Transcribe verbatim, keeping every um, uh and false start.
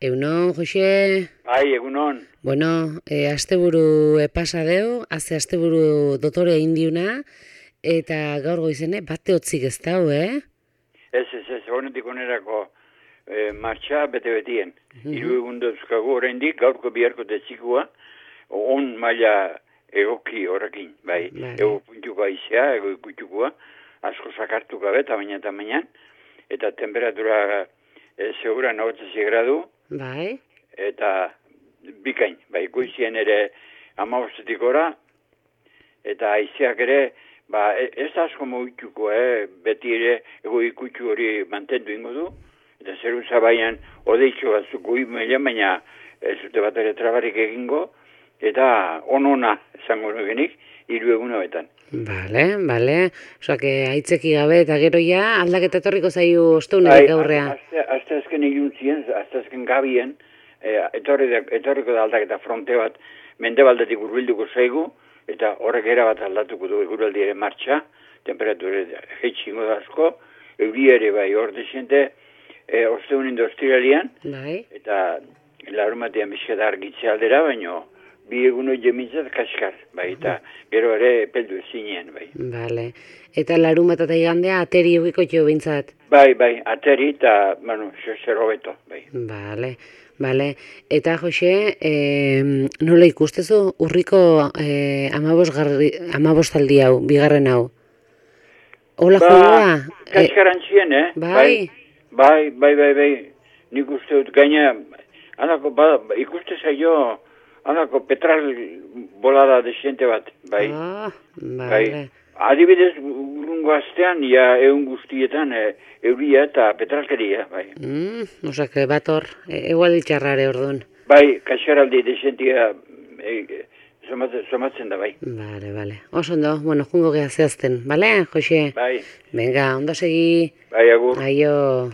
Egunon, Jose? Bai, egunon. Bueno, e, asteburu e, pasa deu, haze asteburu dotore indiuna, eta gaur goizene bate hotzik ez dau, eh? Ez, ez, ez, honetik onerako e, martxa bete-betien. Mhm. Hiru egun dauzkagu oraindik gaurko biharko detzikua, on maila egoki horrekin, bai. Vale. Ego puntuko aizea, ego ikutukua, asko sakartu gabe, tamaina tamainan, eta temperatura e, segura nahotze gradu, Bai. eta bikain, bai, goizien ere amabostetik ora, eta aizeak ere, ba, e- ez da asko mugituko, eh? Beti ere ego ikutsu hori mantendu ingo du, eta zeru zabaian odeitxo batzuk goi mailan, baina ez dute bat ere trabarik egingo, eta on-ona esango nukenik, hiru egun hauetan. Bale, bale. Osa, que aitzeki gabe eta gero ja aldaketa etorriko zaiu osteunetik aurrea. Azte, azte azken iluntzien, azte azken gabien, eh, etorri da, etorriko da aldaketa fronte bat, mendebaldetik hurbilduko zaigu, eta horrek era bat aldatuko du eguraldiaren martxa, temperatura jeitxingo da asko, euri ere bai hor desiente, e, osteunen dostiralian, Bai. eta larumatean bizketa argitze aldera, baino bi egun hori jemintzat kaskar, bai, eta gero ere peldu ezinean, bai. Bale. Eta larunbat eta igandea ateri eukiko jo bintzat. Bai, bai, ateri eta, bueno, zer hobeto, bai. Bale, bale. Eta, Jose, e, nola ikustezu urriko e, amabostaldi hau, bigarren hau? Hola, Ba, joa? kaskarantxien, eh? Bai. Bai, bai, bai, bai, nik uste dut gaina, alako, ba, ikuste zaio, alako petral bolada desiente bat, bai. Ah, Bai. bale. Adibidez, urrungo astean, ja, egun guztietan, e, euria eta petralkeria, bai. Mm, osak, bat hor, e, egual ditxarrare orduan. Bai, kaskaraldi desientia e, somatzen, somatzen da, bai. Bale, bale. Oso ondo, bueno, jungo geha zehazten, bale, Jose? Bai, Venga, ondo segi. bai, agur. Aio.